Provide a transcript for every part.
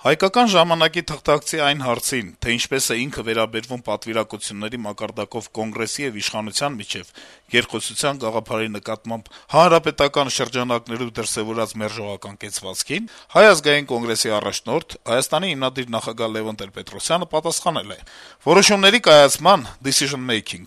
Հայկական ժամանակի թղթակցի այն հարցին, թե ինչպես է ինքը վերաբերվում պատվիրակությունների մակարդակով Կոնգրեսի եւ իշխանության միջեւ երկխոսության գաղափարի նկատմամբ հանրապետական շրջանակներում դրսեւորած մերժողական կեցվածքին, Հայ ազգային կոնգրեսի առաջնորդ, Հայաստանի հիմնադիր նախագահ Լեւոն Տեր-Պետրոսյանը պատասխանել է. - «Որոշումների կայացման (decision making)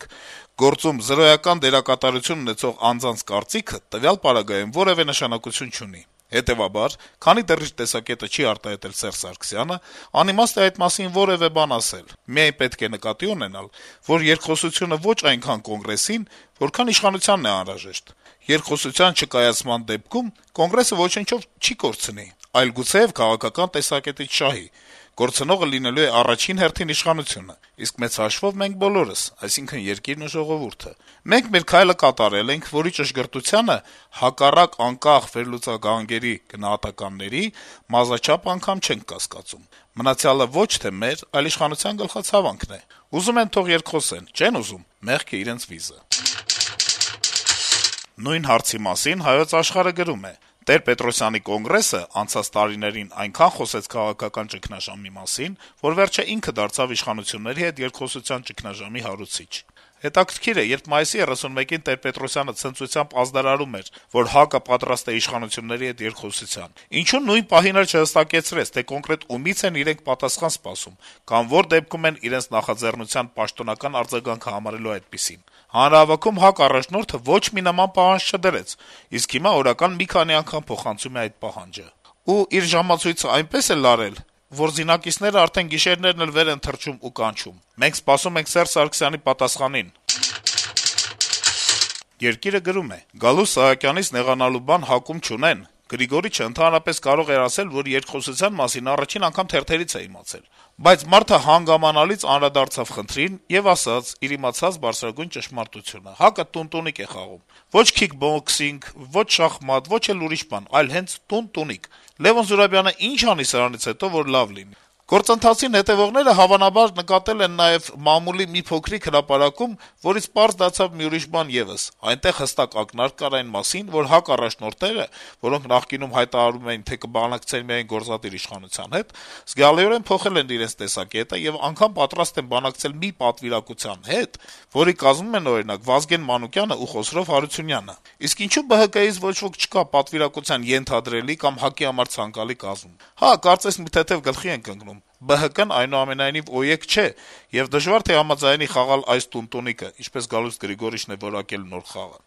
գործում զրոյական դերակատարություն ունեցող անձանց կարծիքը տվյալ պարագայում որեւէ նշանակություն չունի: Հետեւաբար, քանի դեռ իր տեսակետը չի արտահայտել Սերժ Սարգսյանը, անիմաստ է այդ մասին որեւէ բան ասել: Միայն պետք է նկատի ունենալ, որ երկխոսությունը ոչ այնքան Կոնգրեսին, որքան իշխանությանն է անհրաժեշտ: Երկխոսության չկայացման դեպքում Կոնգրեսը ոչնչով չի կորցնի, այլ գուցեեւ քաղաքական տեսակետից շահի: Կորցնողը լինելու է առաջին հերթին իշխանությունը, իսկ մեծ հաշվով մենք բոլորս, այսինքն երկիրն ու ժողովուրդը: Մենք մեր քայլը կատարել ենք, որի ճշգրտությանը, հակառակ անկախ վերլուծագանգերի գնահատականների, մազաչափ անգամ չենք կասկածում: Մնացյալը ոչ թե մեր, այլ իշխանության գլխացավանքն է: Ուզում են թող երկխոսեն, չեն ուզում` մեղքը իրենց վիզը»: Նույն հարցի մասին «Հայոց Աշխարհ»-ը գրում է. - «Տեր-Պետրոսյանի Կոնգրեսը անցած տարիներին այնքան խոսեց քաղաքական ճգնաժամի մասին, որ վերջը ինքը դարձավ իշխանությունների հետ երկխոսության ճգնաժամի հարուցիչ: Հետաքրքիր է, երբ մայիսի 31-ին Տեր-Պետրոսյանը ցնծությամբ ազդարարում էր, որ ՀԱԿ-ը պատրաստ է իշխանությունների հետ երկխոսության, ինչո՞ւ նույն պահին էլ չհստակեցրեց, թե կոնկրետ ումից են իրենք պատասխան սպասում, կամ որ դեպքում են իրենց նախաձեռնության պաշտոնական արձագանքը համարելու այդպիսին: Հանրահավաքում ՀԱԿ առաջնորդը ոչ մի նման պահանջ չդրեց, իսկ հիմա օրական մի քանի անգամ փոխանցում է այդ պահանջը: Ու իր ժամացույցը այնպես է լարել, որ զինակիցները արդեն գիշերներն էլ վեր են թռչում ու կանչում. «Մենք սպասում ենք Սերժ Սարգսյանի պատասխանին»: «Երկիր»-ը գրում է. - «Գալուստ Սահակյանից նեղանալու բան ՀԱԿ-ում չունեն: Գրիգորիչը ընդհանրապես կարող էր ասել, որ երկխոսության մասին առաջին անգամ թերթերից է իմացել: Բայց մարդը հանգամանալից անդրադարձավ խնդրին եւ ասաց իր իմացած բարձրագույն ճշմարտությունը. ՀԱԿ-ը տուն-տունիկ է խաղում: Ոչ քիքբոքսինգ, ոչ շախմատ, ոչ էլ ուրիշ բան, այլ հենց տուն-տունիկ: Լեւոն Զուրաբյանը ի՞նչ անի սրանից հետո, որ լավ լինի»: Գործընթացին հետեւողները հավանաբար նկատել են նաեւ մամուլի մի փոքրիկ հրապարակում, որից պարզ դարձավ մի ուրիշ բան եւս. այնտեղ հստակ ակնարկ կար այն մասին, որ ՀԱԿ առաջնորդները, որոնք նախկինում հայտարարում էին, թե կբանակցեն միայն գործադիր իշխանության հետ, զգալիորեն փոխել են իրենց տեսակետը եւ անգամ պատրաստ են բանակցել մի պատվիրակության հետ, որի կազմում են, օրինակ, Վազգեն Մանուկյանը ու Խոսրով Հարությունյանը: Իսկ ինչո՞ւ ԲՀԿ-ից ոչ ոք չկա պատվիրակության ենթադրելի կամ ՀԱԿ-ի համար ցանկալի կազմում: Հա, կարծես մի թեթեւ գլխի ենք ընկնում: ԲՀԿ-ն, այնուամենայնիվ, օյեկ չէ, եւ դժվար թե համաձայնի խաղալ այս տուն-տունիկը, ինչպես Գալուստ Գրիգորիչն է որակել նոր խաղը»: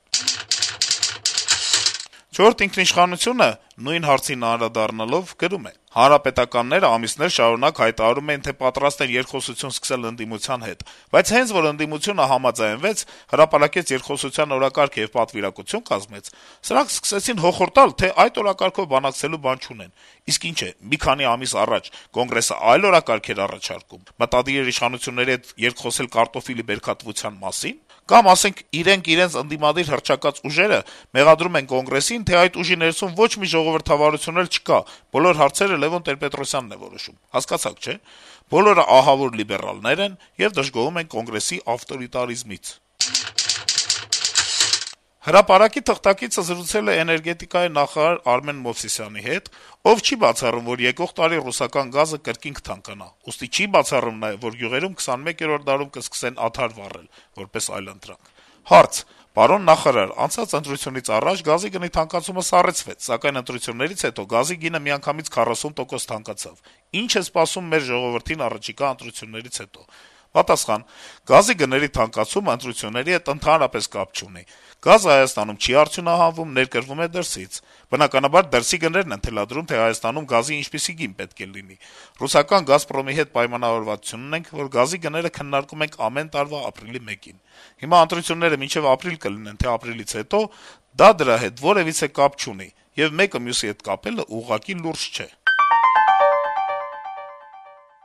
«Չորրորդ ինքնիշխանություն»-ը նույն հարցին անդրադառնալով գրում է. - «Հանրապետականները ամիսներ շարունակ հայտարարում էին, թե պատրաստ են երկխոսություն սկսել ընդդիմության հետ, բայց հենց որ ընդդիմությունը համաձայնվեց, հրապարակեց երկխոսության օրակարգ եւ պատվիրակություն կազմեց, սրանք սկսեցին հոխորտալ, թե այդ օրակարգով բանակցելու բան չունեն: Իսկ ինչ է, մի քանի ամիս առաջ Կոնգրեսը այլ օրակարգ էր առաջարկում, մտադիր էր իշխանությունների հետ երկխոսել կարտոֆիլի բերքատվության մասի՞ն: Կամ, ասենք, իրենք իրենց ընդդիմադիր հռչակած ուժերը մեղադրում են Կոնգրեսին, թե այդ ուժի ներսում ոչ մի ժողովրդավարություն էլ չկա, բոլոր հարցերը Լեւոն Տեր-Պետրոսյանն է որոշում: Հասկացաք, չէ՞: Բոլորը ահավոր լիբերալներ են եւ դժգոհում են Կոնգրեսի ավտորիտարիզմից»: «Հրապարակ»-ի թղթակիցը զրուցել է էներգետիկայի նախարար Արմեն Մովսիսյանի հետ, ով չի բացառում, որ եկող տարի ռուսական գազը կրկին կթանկանա, ուստի չի բացառում նաեւ, որ գյուղերում 21-րդ դարում կսկսեն ադար վառել, որպես այլընտրանք: Հարց. - Պարոն նախարար, անցած ընտրությունից առաջ գազի գնի թանկացումը սառեցվեց, սակայն ընտրություններից հետո գազի գինը միանգամից 40% թանկացավ: Ի՞նչ է սպասում մեր ժողովրդին առաջիկա ընտրություններից հետո: Պատասխան. - Գազի գների թանկացումը ընտրությունների հետ ընդհանրապես կապ չունի: Գազը Հայաստանում չի արդյունահանվում, ներկրվում է դրսից: Բնականաբար, դրսի գներն են թելադրում, թե Հայաստանում գազի ինչպիսի գին պետք է լինի: Ռուսական «Գազպրոմի» հետ պայմանավորվածություն ունենք, որ գազի գները քննարկում ենք ամեն տարվա ապրիլի 1-ին: Հիմա ընտրությունները մինչեւ ապրիլ կլինեն, թե ապրիլից հետո, դա դրա հետ որեւիցե կապ չունի, եւ մեկը մյուսի հետ կապելը ուղղակի լուրջ չէ»: